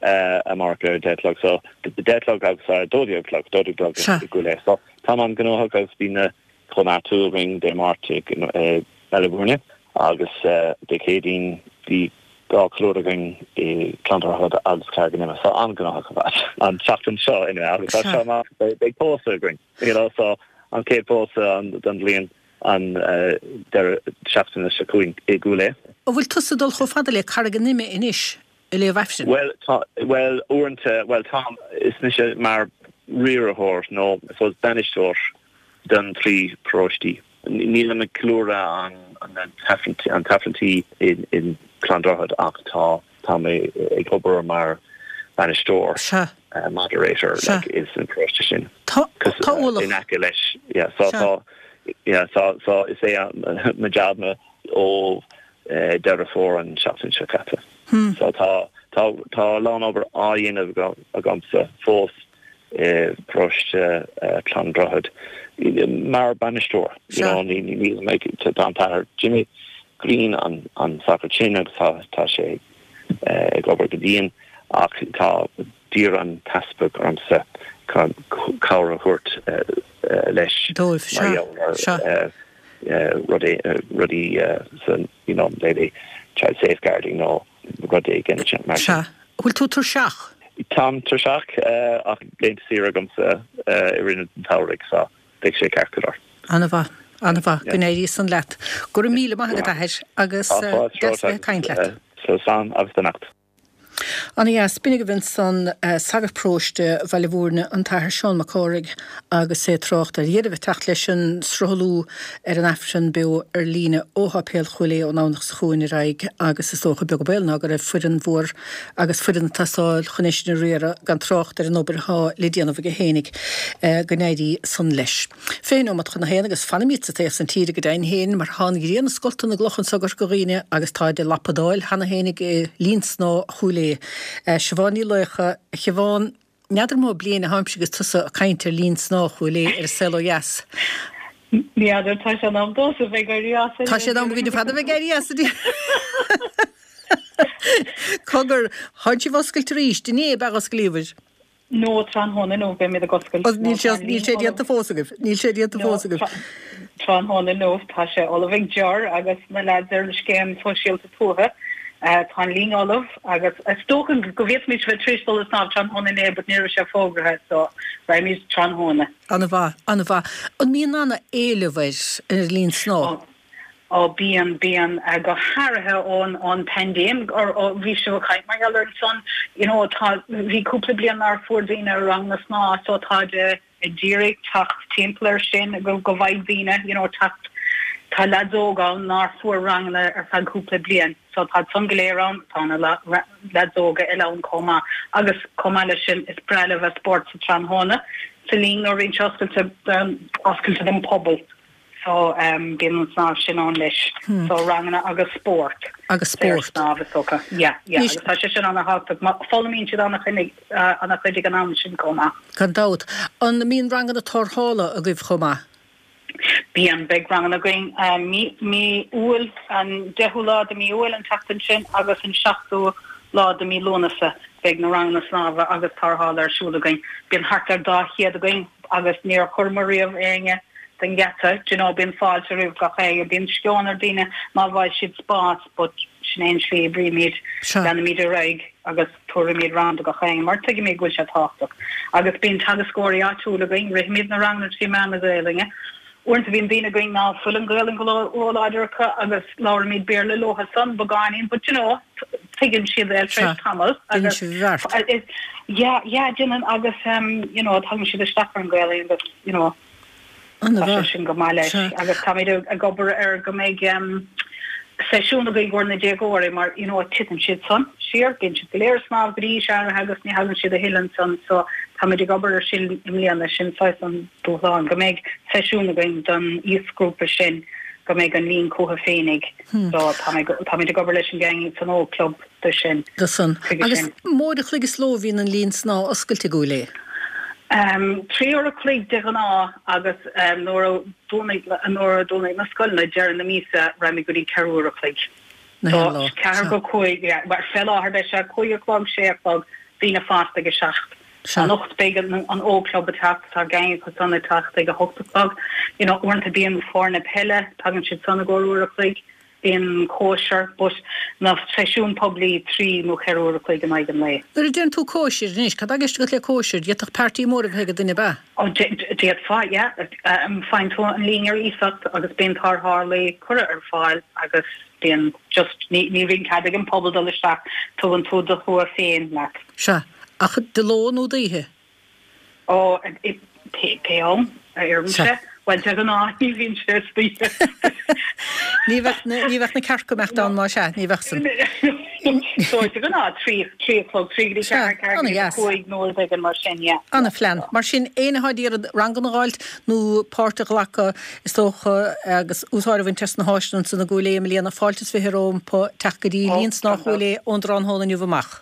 Aodha amárach ar a 10 a chlog. So, 10 a chlog agus a 12 a chlog, 12 a chlog i gCúil Aodha. So, táim an-ghnóthach agus bíonn na Cóineartú againn Dé Máirt i mBaile Mhúirne agus Dé Céadaoin bhí dhá cheiliúradh againn i gClann Droichead agus Carraig an Ime. So, an-ghnóthach ar fad an tseachtain seo anyway agus as seo amach beidh pósadh againn. You know, so an chéad phósadh don bhliain an deireadh seachtaine seo chugainn i gCúil Aodha. An bhfuil tusa ag dul chomh fada le Carraig an Ime anois ag léamh Aifrinn? Bhuel, tá, bhuel, uaireanta, bhuel, táim, is mise mar riarthóir nó I suppose bainisteoir don trí paróistí. Nílim ag ceiliúradh an an t-aifrinntí in Clann Droichead ach tá tá mé ag obair mar bainisteoir, moderator, like, is an paróiste sin. Tá tá in aice leis, yeah, so tá yeah, so so is é mo job ná ó Deireadh Fómhair an seachtain seo caite. So tá tá tá a lán obair á dhéanamh agamsa fós i bparóiste Chlann Droichead mar bainisteoir. You know, ní ní tá an tAthair Jimmy Greene an an sagart sin agus tá tá sé ag obair go dian ach tá d'iarr an t-easpag ormsa chun cabhair a thabhairt leis Dóibh, mar gheall ar rudaí rudaí san you know maybe child safeguarding nó rud éigin mar sin. Sea. Bhfuil tú tuirseach? Táim tuirseach ach laethanta saoire agamsa i rith an tsamhraidh so beidh sé ceart go leor. An-mhaith. An-mhaith. Go n-éirí san leat. Go raibh míle maith agat, a Athair, agus deas a bheith ag caint leat. Slán agus beannacht. Ana-dheas. B'in agaibh ansan sagart paróiste Bhaile Mhúirne, an tAthair Seán Mac Cárthaigh agus é ag trácht ar dheireadh a bheith ag teacht leis an sruthlú ar an Aifreann beo ar líne ó Sháipéal Chúil Aodha ón Domhnach seo chugainn ar aghaidh agus is dócha beag an baol ná go raibh foireann mhór agus foireann ag teastáil chun é sin a riaradh gan trácht ar an obair atá le déanamh aige fhéinig. Go n-éirí san leis. 20 nóimeat chun a haon agus fanfaimid sa taobh san tíre go deimhin féin mar tá an ghrian ag scoltadh na gcloch anso i gCorca Dhuibhne agus táid ag lapadáil cheana féinig i linn snámha Chúil Aodha. Siobhán Ní Laocha, A Shiobhán, n'fheadar mó bliain atháimse agus tusa ag caint ar linn snámha Chúil Aodha ar An Saol Ó Dheas. Ní fheadar, tá sé in am domhsa bheith ag éirí as. Tá sé in am againn ar fad a bheith ag éirí as. Cogar, tánn sibh oscailte arís, inné ab ea a osclaíobhair? No, tráthnóna inniu beimid ag oscailt. Níl sé, níl sé déanta fós agaibh, níl sé déanta fós agaibh. Tráthnóna inniu tá sé ullamh ag Ger agus na leaids ar an scéim sóisialta tuaithe. Tá an linn ullamh agus is dócha go bhféadfaimis bheith tar éis dul ag snámh tráthnóna inné but ní raibh sé fógraithe so raghaimid tráthnóna. An-mhaith, an-mhaith. An mbíonn ana-éileamh ar an linn snámha? Ó bíonn, bíonn, go hairithe ón, ón paindéim, or ó, bhí sibh ag caint mar gheall air ansan, you know, tá, bhí cúpla bliain nár fuair daoine ranganna snámha so táid ag iarraidh teacht timpeall air sin go, go bhfaighidh daoine, you know, teacht, tá leaids óga ann nár fuair ranganna ar feadh cúpla bliain so táid san go léir ann, tá na leaids óga eile ann chomh maith agus chomh maith leis sin is breá leo bheith spórt sa tráthnóna sa linn nuair a bhíonn sé oscailte, oscailte don pobal. So bíonn an snámh sin ann leis. So ranganna agus spórt. Agus spórt. Snámh is dócha. Yeah, yeah. Agus tá sé sin ana-thábhachtach. Foghlaimíonn siad ana-chuid ag an am sin chomh maith. Gan dabht. An mbíonn ranganna tarrthála agaibh chomh maith? Bíonn. Beidh ranganna againn mí, mí Iúil, an deichiú lá de mí Iúil an tseachtain sin agus an seachtú lá de mí Lúnasa. Beidh na ranganna snámha agus tarrthála ar siúl againn. Bíonn thart ar 200 againn agus níor chuireamar riamh éinne den gheata, do you know, bíonn fáilte roimh gach éinne, bíonn sceon ar daoine ná bhfaighidh siad spás but sin é an slí a oibrímid, leanaimid ar aghaidh agus tabharfaimid rang do gach éinne mar tuigimid go bhfuil sé tábhachtach. Agus bíonn teagascóirí áitiúla againn, rithimid na ranganna trí mheán na Gaelainne. Uaireanta bíonn daoine againn ná fuil an Ghaelainn go róláidir acu agus labhraímid Béarla leo san beagáinín but you know, tuigeann siad é tar éis tamaill agus yeah, yeah, déanann agus you know, tagann siad isteach ar an Ghaelainn agus you know, Tá sé sin go maith leis agus táimid ag obair ar go mbeidh seisiún againn i gcomhair na déagóirí mar you know titeann siad san siar, bíonn siad go léir ag snámh go dtí aois áirithe agus ní thagann siad a thuilleadh ansan so táimid ag obair ar sin i mbliana, sin saghas an dúshlán, go mbeidh seisiún againn don aoisghrúpa sin go mbeidh an linn chucu féinig so táimid ag obair leis an gang san ógchlub do sin. Do san. Agus an uair a chloig sa ló a bhíonn an linn snámha oscailte i gCúil Aodha? 3 uair a chloig de ghnáth agus nuair a nuair a dúnfaidh na scoileanna deireadh na míosa raghaimid go dtí 4 uair a chloig. So 4 go 5, yeah, well fé láthair beidh sé 5 a chlog, 6 a chlog, daoine fásta ag a 7. Anocht beidh an ógchlub ag teacht, tá gang acu san ag teacht ag a 8 a chlog. You know uaireanta bíonn foirne peile, tagann siad san i gcomhair uair a chloig. Bíonn cóisir, but na seisiúin poiblí 3 nó 4 uair a chloig in aghaidh an lae. Nuair a deireann tú cóisir anois, cad tá i gceist agat le cóisir? D'fhéadfadh party mór a bheith ag duine, ab ea? Ó, d'fhéadfá, yeah. Faigheann tú an linn ar iasacht agus bíonn tarrthálaí curtha ar fáil agus bíonn just, ní bhíonn cead ag an pobal dul isteach, tugann tú do thua féin leat. Sea. Ach de ló nó d'oíche? Ó, pé am a oireann sé. Bhuel, de ghnáth ní bhíonn sé istoíche. Ní bheadh na, ní bheadh na cearca ag imeacht ann má sea, ní bheadh san. So, de ghnáth, 3, 3 a chlog, 3 go dtí 4, 4 go dtí 5 nó rud éigin mar sin, yeah. Ana-phlean. Mar sin, éinne atá ag iarraidh ranganna a dh'fháilt nó páirt a ghlacadh, is dócha, agus úsáid a bhaint as na háiseanna ansan i gCúil Aodha i mbliana, fáilte is 20 rompu teacht go dtí Linn Snámha Chúil Aodha ón dtráthnóna inniu amach.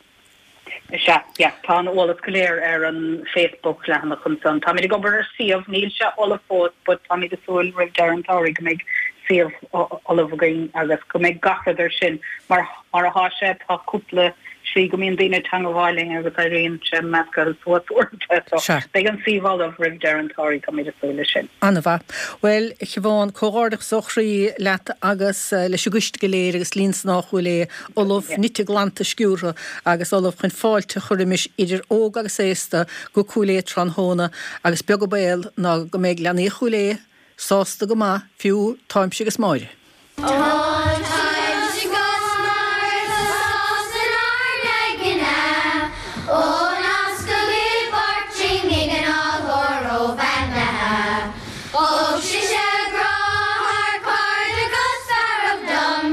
Sea, yeah, tá an eolas go léir ar an Facebook leathanach ansan. Táimid ag obair ar suíomh, níl sé ullamh fós but táimid ag súil roimh deireadh an tsamhraidh go mbeidh suíomh ullamh againn agus go mbeidh gach rud ar sin. Mar mar athá sé tá cúpla slí go mbíonn daoine ag teangabháil linn agus éiríonn sé measctha suas uaireanta so Sea. beidh an suíomh ullamh roimh deireadh an tsamhraidh, táimid ag súil leis sin. An-mhaith. Bhuel, a Shiobhán, comhghairdeachas ó chroí leat agus leis an gcoiste go léir agus Linn Snámha Chúil Aodha. ullamh, nite glanta sciúrtha agus ullamh chun fáilte a chur roimis idir óg agus aosta go Cúil Aodha tráthnóna agus beag an baol ná go mbeidh leanaí Chúil Aodha sásta go maith fiú táimse agus Máire. Tá taibhse 'gus Márta sásta nár n-aigne ó nascadh i bPáirtinn ag an ágóir róbheannaithe. Thug sise grá thar cairde 'gus fearg dom.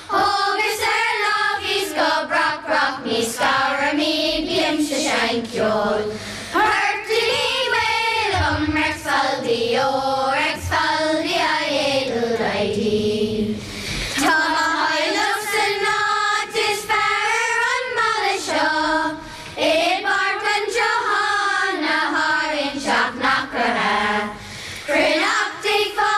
Thógas ar láimh í 's go brach brach ní scaramid bímse seinnt ceoil. Portaigh maol um Rex Faldi ó Rex Faldi I Edel ID. Tá mo theaghlach san áit is fearr ar an mbaile seo i bPáirc an tSrutháin a tharraing teach na Croiche. Cruithneacht ag fás.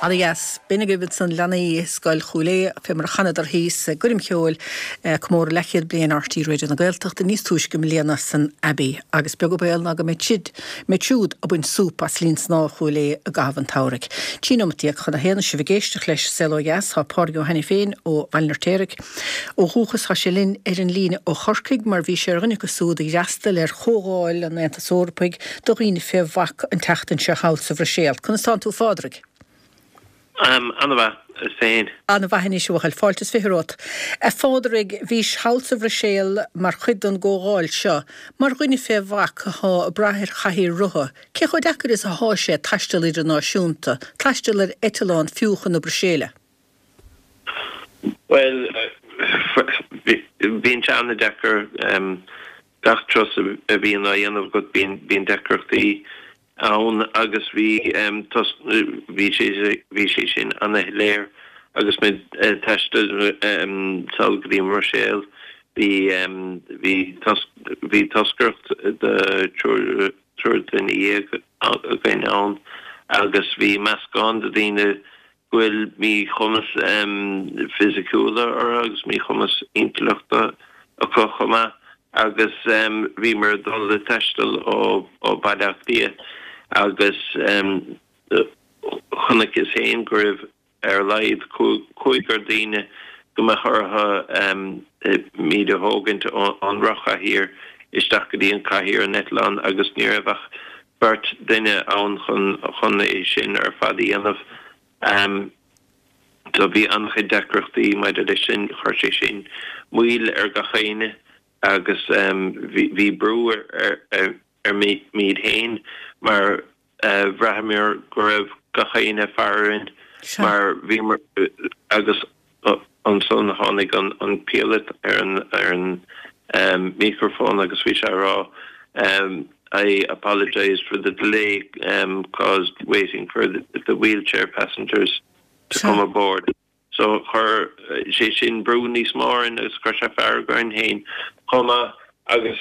Ana dheas. B'in agaibh ansan leanaí Scoil Chúil Aodha fé mar a chanadar thíos i gcoirm cheoil comóradh leathchéad bliain RTÉ Raidió na Gaeltachta níos túisce i mbliana san Abbey agus beag an baol ná go mbeidh siad mbeidh siúd ag baint súp as linn snámha Chúil Aodha i gcaitheamh an tsamhraidh. 13 nóimeat chun a haon is sibh ag éisteacht leis Saol Ó Dheas. Tá Pádraig Ó hAiniféin ó Bhaile an Fheirtéaraigh ó dhúchas. Tá sé linn ar an líne ó Chorcaigh mar bhí sé ar dhuine acu súd a d'fhreastail ar Chomhdháil an Aontais Eorpaigh do dhaoine fé bhac an tseachtain seo thall sa Bhruiséil. Conas tánn tú a Phádraig? Ana-mhaith, is féin? Ana-mhaith anois, a bhuachaill. Fáilte is 20 romhat. A Phádraig, bhís thall sa Bhruiséil mar chuid den gcomhdháil seo. Mar dhuine fé bhac athá ag brath ar chathaoir rotha, cé chomh deacair is athá sé taisteal idirnáisiúnta, taisteal ar eiteallán fiú chun na Bruiséile? Bhuel, bíonn sé ana-deacair. Gach turas a bhíonn á dhéanamh agat bíonn deacrachtaí ann agus bhí bhí sé bhí sé sin ana-shoiléir agus muid ag taisteal sall go dtí an mBruiséil. Bhí bhí bhí toscaireacht de triúr triúr duine dhéag againn ann agus bhí meascán de daoine go bhfuil míchumas fisiciúla orthu agus míchumas intleachta acu chomh maith agus bhíomar ag dul ag taisteal ó Baile Átha Cliath agus chonaiceas féin go raibh ar a laghad cúigear daoine go mbeadh orthu muid a thógaint ón rothchathaoir isteach go dtí an cathaoir an eitleán agus ní raibh ach beirt duine ann chun é sin ar fad a dhéanamh. So bhí an-chuid deacrachtaí maidir leis sin, chuir sé sin moill ar gach éinne agus bhí brú ar muid féin mar bhraitheamar go raibh gach éinne ag faire orainn mar bhíomar agus Ansan tháinig an píolót ar an microphone agus bhí sé ag rá I apologise for the delay caused waiting for the wheelchair passengers to come aboard. So chuir sé sin brú níos mó orainn agus chuir sé fearg orainn féin chomh maith agus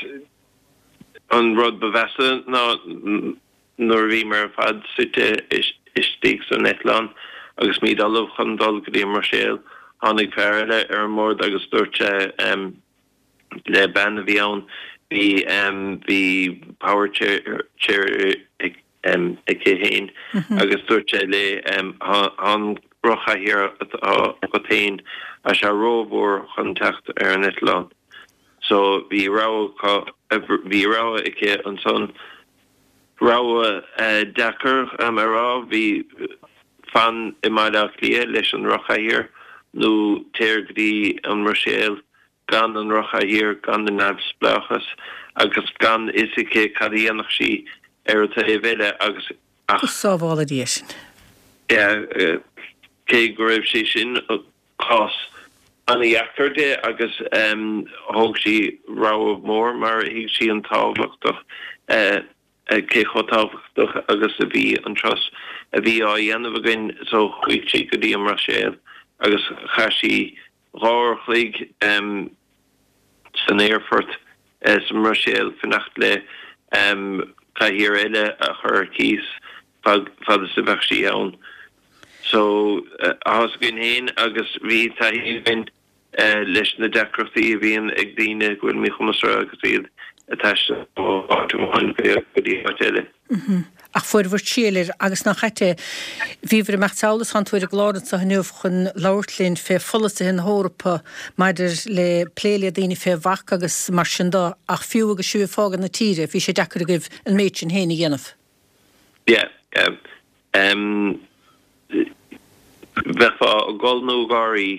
an rud ba mheasa ná Nuair a bhíomar ar fad suite istigh san eitleán agus muid ullamh chun dul go dtí an mBruiséil, tháinig fear eile ar an mbord agus dúirt sé le bean a bhí ann, bhí bhí power chair aici féin agus dúirt sé léi, tá an rothchathaoir atá agat féin, tá sé rómhór chun teacht ar an eitleán. So bhí rogha bhí rogha aici ansan. Rogha deacair a rá, bhí fan i mBaile Átha Cliath leis an rothchathaoir nó téir go dtí an mBruiséil gan an rothchathaoir, gan an neamhspleáchas agus gan fhios aici cad a dhéanfadh sí ar an taobh eile agus ach. Go sábhála Dia sinn. Yeah, cé go raibh sé sin cás an-dheacair di agus thóg sí rogha mhór mar thuig sí an tábhachtach cé chomh tábhachtach agus a bhí an turas a bhí á dhéanamh againn so chuaigh sí go dtí an mBruiséil agus chaith sí 2 uair a chloig san aerfort sa mBruiséil fanacht le cathaoir eile a chur ar cíos fad is a bheadh sí ann. So, tá's againn féin agus bhí taithí againn leis na deacrachtaí a bhíonn ag daoine go bhfuil míchumas orthu agus iad ag taisteal ó áit amháin go dtí áit eile. Ach fuair bhur triail air agus nach ait é. Bhíobhair ag imeacht sall is tánn tú ar an gclár anseo inniu chun labhairt linn fé pholasaithe na hEorpa maidir le plé le daoine fé bhac agus mar sin do ach fiú agus sibh ag fágáil na tíre bhí sé deacair agaibh an méid sin féin a dhéanamh. Yeah, yeah. Em, bheifeá ag gol nó ag gáirí,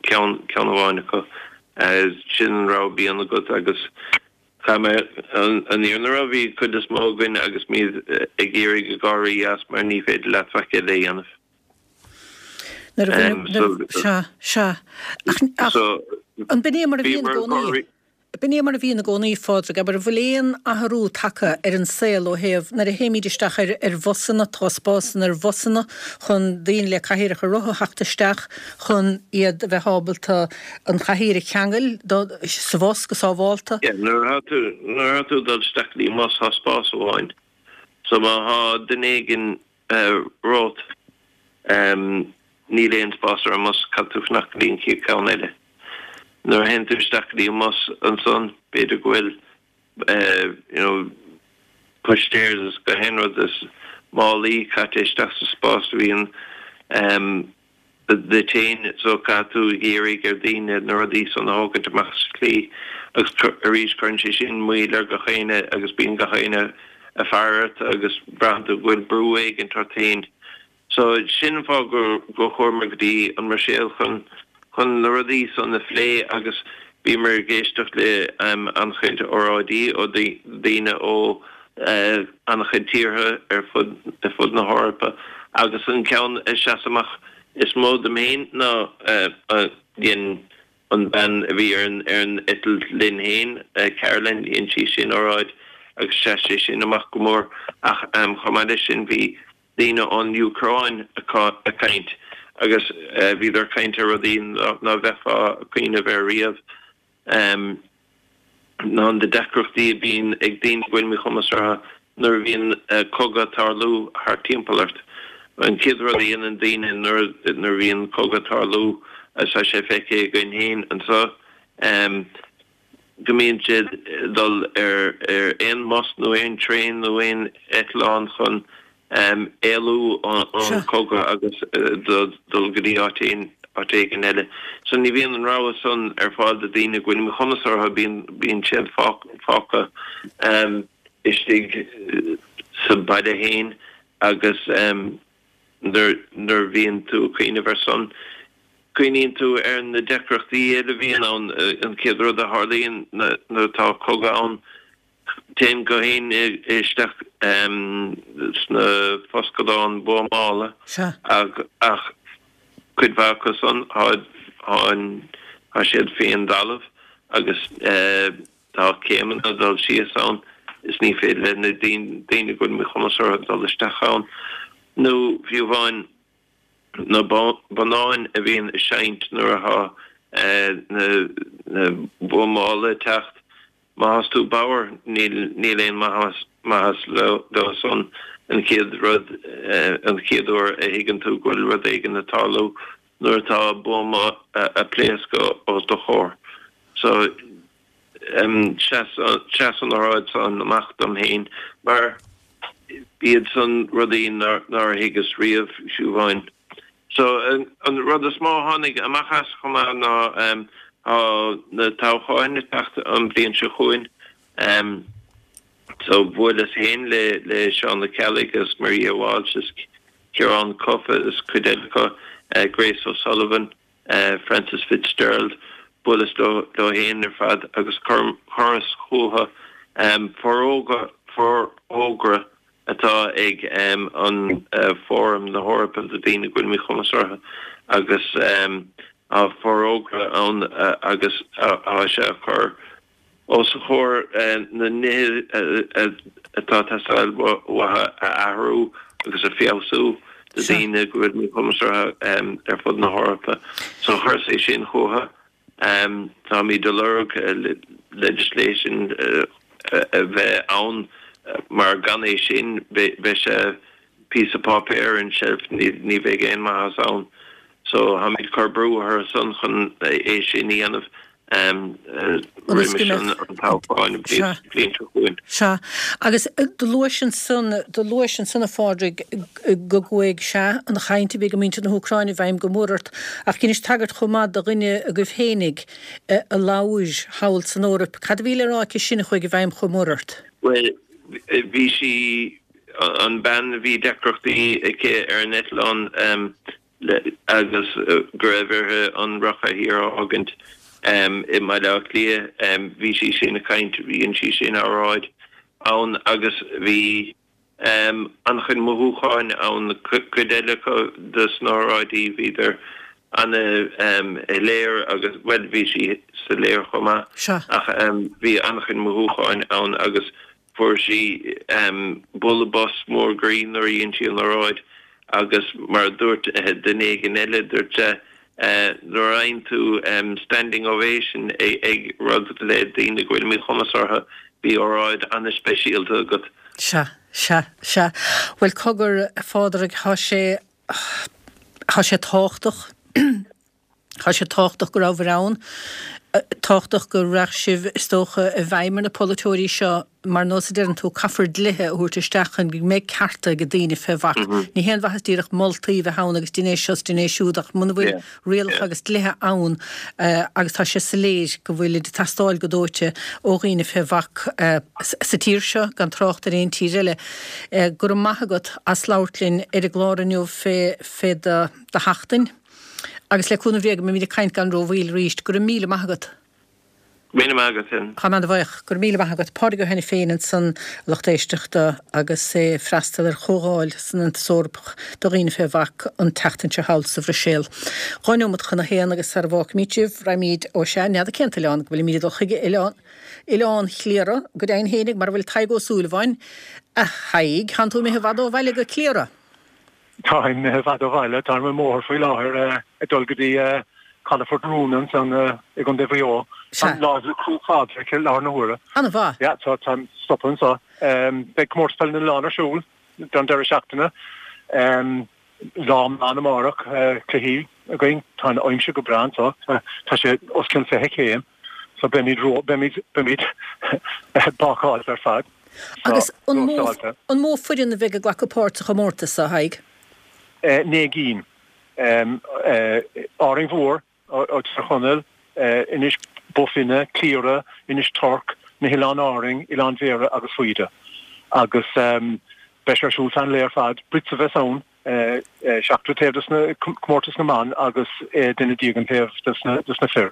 ceann, ceann amháin acu. Sin an rogha a bhíonn agat agus chaith mé, an fhírinne a rá, bhí cuid is mó againn agus muid ag iarraidh ag gáirí as mar ní féidir leat faic eile a dhéanamh. Nuair a bhaineadh, nuair, sea, sea. Ach, ach, an b'in é mar a bhíonn i gcónaí? B'in é mar a bhíonn i gcónaí, a Phádraig, abair, an bhfuil aon athrú tagtha ar an saol ó thaobh, nuair a théimid isteach ar, ar bhusanna, tá spásanna ar bhusanna chun daoine le cathaoireacha rotha a theacht isteach chun iad a bheith ábalta an chathaoir a cheangal do, sa bhus go sábhálta. Yeah, nuair atá tú, nuair atá tú ag dul isteach go dtí an bhus, tá spás amháin. So má thá duine éigin romhat. Níl aon spás ar an mbus, caithfidh tú fanacht go dtí an chéad cheann eile. Nuair a théann tú isteach go dtí an mbus ansan, b'fhéidir go bhfuil you know pushchairs is gach aon rud is málaí caite isteach sa spás a bhíonn duit féin so caithfidh tú ag iarraidh ar daoine na rudaí san a thógaint amach as an tslí agus arís cuireann sé sin moill ar gach éinne agus bíonn gach éinne ag faire ort agus braitheann tú go bhfuil brú éigint ort féin. So sin an fáth gur chuamar go dtí an mBruiséil chun chun na rudaí san a phlé agus bhíomar ag éisteacht le an-chuid óráidí ó daoine ó an-chuid tíortha ar fud ar fud na hEorpa agus an ceann a sheas amach is mó dom féin ná dhein an bean a bhí ar an ar an eitilt linn féin, Caroline, dhein sí sin óráid agus sheas sé sin amach go mór ach chomh maith leis sin bhí daoine ón Úcráin ag caint agus bhíodar ag caint ar rudaí ná bheifeá ag cuimhneamh air riamh, ná na deacrachtaí a bhíonn ag daoine go bhfuil míchumas orthu nuair a bhíonn cogadh ag tarlú thart timpeall ort. An chéad rud a dhéanann daoine nuair a bhíonn cogadh ag tarlú, agus tá sé feicthe againn féin anseo, go mbíonn siad ag dul ar aon mbus nó aon traein nó aon eitleán chun éalú ón chogadh agus dul go dtí áit áit éigin eile. So ní bhíonn an rogha san ar fáil do daoine go bhfuil míchumas orthu, bíonn bíonn siad fágtha istigh sa baile féin agus nuair nuair a bhíonn tú ag cuimhneamh ar san, cuimhníonn tú ar na deacrachtaí eile a bhíonn ann. An chéad rud a tharlaíonn nuair atá cogadh ann, téann gach éinne isteach sna foscadáin buamála ach cuid mhaith acu san, tá siad faoin dtalamh agus tá céimeanna ag dul síos ann is ní féidir le na daoine go bhfuil míchumas orthu dul isteach ann nó fiú amháin na bonnáin a bhíonn ag seinnt nuair atá na buamála ag teacht. Má thás tú bodhar níl níl aon mhaitheas maitheas leo san. An chéad rud an chéad uair a thuigeann tú go bhfuil rud éigin ag tarlú nuair atá buama ag pléascadh os do chomhair. So sheas sheas an óráid san amach dom féin mar b'iad san rudaí nár thuigeas riamh, fiú amháin. So an rud is mó a tháinig amach as chomh maith ná tá na toghcháin ag teacht an bhliain seo chugainn. So bhuaileas féin le le Seán Ó Ceallaigh agus Maria Walsh is Ciarán Cuffe is cuid eile acu, Grace O'Sullivan, Frances Fitzgerald, bhuaileas leo leo féin ar fad agus chuireas chucu forógra forógra atá ag an Fóram na hEorpa do Daoine go bhfuil Míchumas orthu agus tá forógra ann agus tá sé ag cur os a chomhair na nithe atá ag teastáil uathu a athrú agus a feabhsú do daoine go bhfuil míchumas orthu ar fud na hEorpa. So chuireas é sin chucu. Táimid ag lorg legislation a bheith ann mar gan é sin beidh sé píosa páipéir ar an shelf, ní bheidh aon mhaitheas ann. So táimid ag cur brú orthu san chun é sin a dhéanamh roimis an toghchán an bhliain seo chugainn. Sea. Agus do luais ansan, do luais ansan a Phádraig go gcuaigh, sea, an chaint a bhí ag muintir na hÚcráine i bhfeidhm go mór ort, ach dheinis tagairt chomh maith do dhuine agaibh fhéinig a labhair thall san Eoraip. Cad a bhí le rá aici sin a chuaigh i bhfeidhm chomh mór ort? Bhuel, bhí sí, an bean a bhí deacrachtaí aici ar an eitleán, agus go raibh uirthi an rothchathaoir a fhágaint i mBaile Átha Cliath. Bhí sí sin ag caint, dhein sí sin óráid ann agus bhí an-chuid mothúcháin ann. Cuid eile acu dos na hóráidí bhíodar ana-shoiléir agus, bhuel, bhí sí soiléir chomh maith ach bhí an-chuid mothúcháin ann agus Fuair sí bualadh bos mór groí nuair a dhein sí an oráid agus mar a dúirt duine éigin eile, dúirt sé, nuair a fhaigheann tú standing ovation ag rud le daoine go bhfuil míchumas orthu, bhí óráid an-speisialta agat. Sea, sea, sea. Bhuel, cogar, a Phádraig, tá sé. Tá sé tábhachtach, tá sé tábhachtach go rabhabhair ann, tábhachtach go raibh sibh, is dócha, i bhfeidhm ar na polaiteoirí seo, mar nós a deireann tú, caithfear dlíthe a thabhairt isteach chun go mbeidh cearta ag daoine fé bhac. Ní haon mhaitheas díreach moltaí a bheith ann agus dein é seo is dein é siúd ach muna bhfuil rialacha agus dlíthe ann agus tá sé soiléir go bhfuilid ag teastáil go dóite ó dhaoine fé bhac sa tír seo, gan trácht ar aon tír eile. Go raibh maith agat as labhairt linn ar an gclár inniu fé fé do do sheachtain agus le cúnamh Dé go mbeimid ag caint gan rómhoill arís. Go raibh míle maith agat. Míle maith agat féin. Táim ana-bhuíoch. Go raibh míle maith agat. Pádraig Ó hAiniféin ansan, a lucht éisteachta, agus é ag freastal ar chomhdháil san Aontas Eorpach do dhaoine fé bhac an tseachtain seo thall sa Bhruiséil. 2 neomat chun a haon agus sara bhfágfaimid sibh, raghaimid, ó sea, n'fheadar cén t-oileán go bhfuilimid ag dul chuige, oileán, Oileán Chliara, go deimhin fhéinig, mar a bhfuil Tadhg Ó Súilleabháin. A Thaidhg, thánn tú imithe i bhfad ó bhaile go Cliara? Táim imithe i bhfad ó bhaile. Táim ar an mbóthar faoi láthair ag dul go dtí calafort Roonagh ansan i gContae Mhaigh Eo. Táim láimh le Cruach Phádraig i láthair na huaire. An-mhaith. Yeah, so táim stoptha anso. Beidh Comórtas Peile na nOileán ar siúl don deireadh seachtaine. Lá iomlán amárach, cluichí againn. Tá an aimsir go breá anso. Tá sé os cionn 20 céim. So beimid ró, beimid, beimid bácáilte ar fad. Agus an mó, an mó foireann a bheidh ag glacadh páirt sa chomórtas, a Thaidhg? 9 gcinn. Árainn Mhór, ó Tír Chonaill, Inis Bó Finne, Cliara, Inis Toirc, na hOileáin Árainn, Oileán Bhéarra agus Faoide. Agus beidh sé ar siúl feadh an lae ar fad. Blitz a bheas ann, seachtar taobh des na comórtas na mban agus duine déag an taobh des na fir.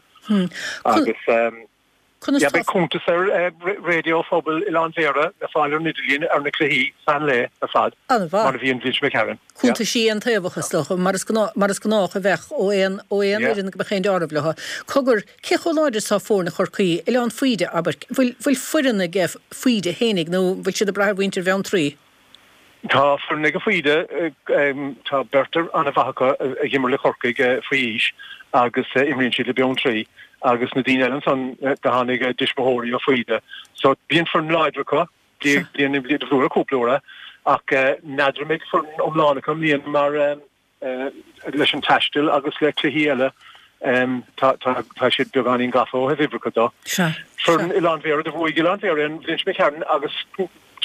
Agus Conas tá. Beidh cuntas ar Raidió Phobail Oileán Bhéarra le fáil ar an idirlíon ar na cluichí feadh an lae ar fad, mar a bhí an bhliain seo imigh tharainn. Cuntaisí aontaobhacha, is dócha, mar is mar is gnách a bheadh ó aon ó aon fhoireann go mbeadh aon deáramh leo. Cogar, cé chomh láidir is atá foirne Chorcaí, Oileán Faoide, abair, bhfuil bhfuil foireann ag Faoide fhéinig nó bhfuil siad ag brath ar mhuintir Bheanntraí? Tá foireann ag Faoide, tá beirt an-mhaith acu a dh'imir le Corcaigh faoi aois agus imríonn siad le Beanntraí agus na daoine eile ansan do tháinig a dtuismitheoirí ó Faoide. So bíonn foireann láidir acu, bliain i mbliain, bhuadar cúpla uair é ach n'fheadar an mbeidh foireann iomlán acu i mbliana mar leis an taisteal agus le cluichí eile, tá siad beagáinín gafa ó thaobh uimhreacha de. Foireann Oileán Bhéarra, do bhuaigh Oileán Bhéarra an bhliain seo imigh tharainn agus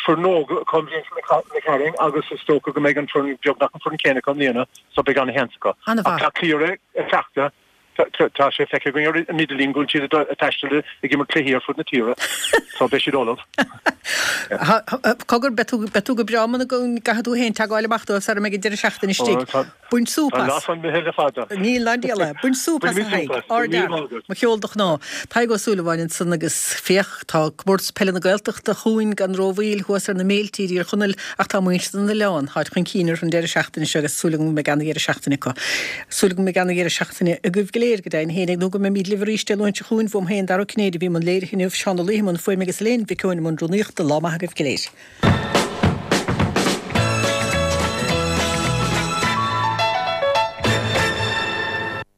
foireann óg acu an bhliain seo imigh tharainn agus is dócha go mbeidh an foireann beagnach an foireann céanna acu i mbliana so beidh an-sheans acu. Ach tá Cliara ag cleachtadh Tá sé feicthe againn ar an idirlíon go bhfuil siad ag taisteal ag imirt cluichí ar fud na tíre, so beidh siad ullamh. Cogar, beidh tú, beidh tú go breá muna gcaithfidh tú féin teagmháil amach dóibh sara mbeidh an deireadh seachtaine istigh. Bain súp as. Tá an lá san imithe le fada. Níl ná diabhal é. Bain súp as a Thaidhg. Ardfhear. Mo cheol do chnámh. Tadhg Ó Súilleabháin ansan agus féach, tá Comórtas Peile na Gaeltachta chugainn gan rómhoill thuas ar na méilte i dTír Chonaill ach tá muintir na n-oileán, táid chun cinn orthu an deireadh seachtaine seo agus súil agam go mbeidh ana-dheireadh seachtaine acu. Súil agam go mbeidh ana-dheireadh seachtaine agaibh go léir, go deimhin fhéinig, nó go mbeimíd libh arís Dé Luain seo chugainn. Bhuam féin, Dara Ó Cinnéide, a bhí i mbun léirithe inniu, Seán Ó Laoithe i mbun fuaime agus Elaine Mhic Eoin i mbun rúnaíochta. Lá maith agaibh go léir.